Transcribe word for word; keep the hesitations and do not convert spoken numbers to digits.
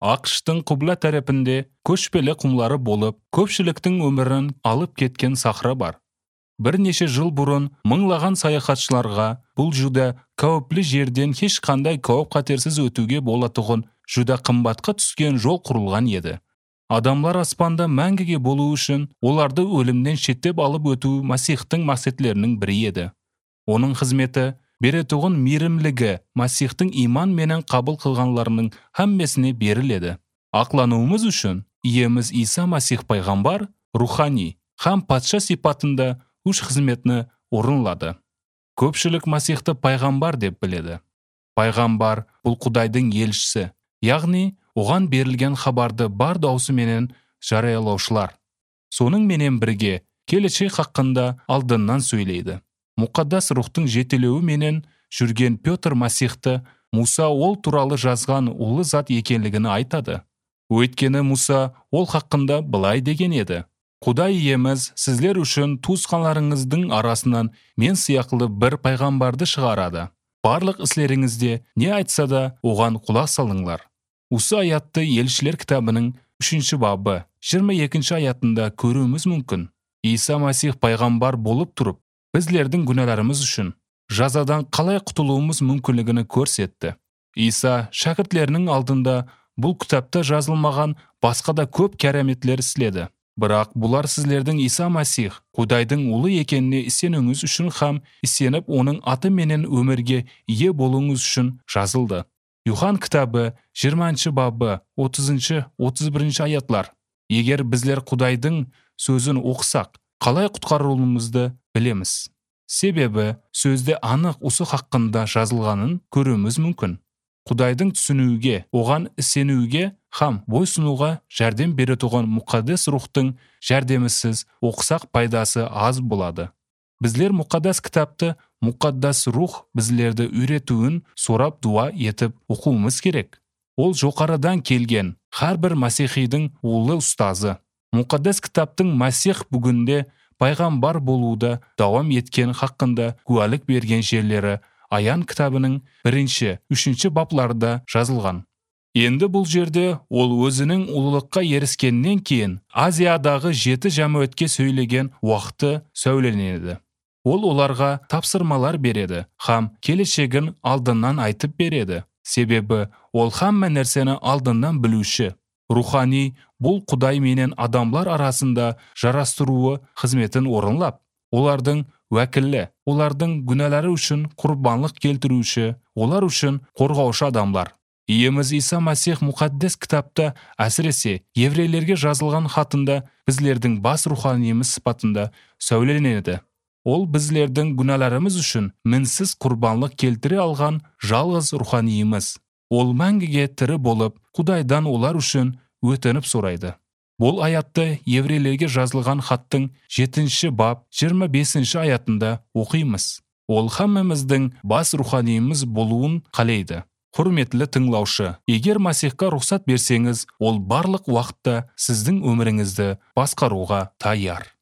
АКШтын Кубла тарапинде көчпеле кумлары болуп, көпчүлүктүн өмүрүн алып кеткен сахра бар. Бир нече жыл бурун мыңлаган саякатчыларга бул жуда кооптуу жерден эч кандай кооп катерсиз өтүүгө болотугун жуда кымбатка түскөн жол курулган эди. Адамлар аспанда мәңгиге болуу үчүн оларды өлүмдөн четтеп алып өтүү Масихтин максатларынын бири эди. Онун кызмети беретугун миримлиги Масихтин иман менен кабыл кылганларынын хаммесине бериледи. Аклануубуз үчүн Иемиз Иса Масих пайгамбар руханий хам патша сипатында үч кызметни орунлады. Көпчүлүк Масихти пайгамбар деп биледи. Пайгамбар бул Кудайдын элчиси, ягни оган берилген хабарды бар даусу менен жарыялоочулар. Сонун менен бирге келечек хакында алдындан сүйлөйдү. Мукаддас рухтун жетелөөү менен жүргөн Петр Масихти Муса ол тууралуу жазган улуу зат экенлигин айтады. Өйткені Муса ол хакында былай деген эди: Кудай Иемиз сизлер үчүн туусканларыңыздын арасынан мен сыяктуу бир пайгамбарды чыгарады. Барлык ислериңизде не айтса да оган кулак салыңлар. Осы аятты Элчилер китабынын үчүнчү бабы жыйырма экинчи аятында көрүүбүз мүмкүн. Иса Масих пайгамбар болуп туруп, bizlerдің күнәларымыз үшін жазадан қалай құтылуымыз мүмкінлігini көрсетті. Иса шәкіртлерінің алдында бұл кітапта жазылмаған басқа да көп кәраметлер істеді. Бірақ бұлар сіздердің Иса Масих Құдайдың ұлы екеніне исенуіңіз үшін хам исеніп оның аты менен өмірге ие болуыңыз үшін жазылды. Юхан кітабы жыйырманчы бабы отузунчу отуз биринчи аятлар. Егер bizler Құдайдың сөзін оқысақ, қалай құтқарылуымызды билемиз. Себеби сөзде анық осы хакында жазылганын көрүүбүз мүмкүн. Кудайдын түсүнүүгө, оган исенүүгө хам бойсунууга жардам бере турган мукаддас рухтун жардамысыз окусак пайдасы аз болот. Bizler мукаддас китапты мукаддас рух bizlerди үйрөтүүн сурап дуа этип окуумуз керек. Ол жокарыдан келген ар бир масихийдин улуу устазы. Мукаддас китаптын Масих бүгүндө пайгамбар болууда давам еткен хакында куәлік берген жерлері Аян кітабының биринчи, үчүнчү бапларда жазылған. Енді бұл жерде ол өзінің улулукка ерискенден кейін Азиядағы жети жамаатке сөйлеген уақыты сөйленеді. Ол оларға тапсырмалар береді, хам келешегин алдынан айтып береді. Себеби ол хамма нерсени алдынан билүүчү. Руханий бұл Құдай менен адамлар арасында жарастыруу кызметін орынлап, олардың вәкілі, олардың күнәлары үшін курбанлык келтирүүчү, олар үшін коргоочу адамлар. Иемиз Иса Масих мукаддас китапта, әсіресе еврейлерге жазылған хатында bizlerдің бас руханийimiz сыпатында сөйленеді. Ол bizlerдің күнәларымыз үшін минсиз курбанлык келтире алган жалгыз руханийimiz. Ол мәңгіге тірі болып, Құдайдан олар үшін өтініп сурайды. Бұл аятты еврейлерге жазылған хаттың жетинчи бап жыйырма бешинчи аятында окуймуз. Ол хаммамыздың бас руханийimiz болуун каалайды. Құрметлі тыңлаушы, егер Масихка рұқсат берсеңіз, ол барлық уақытта сіздің өміріңізді басқаруға таяр.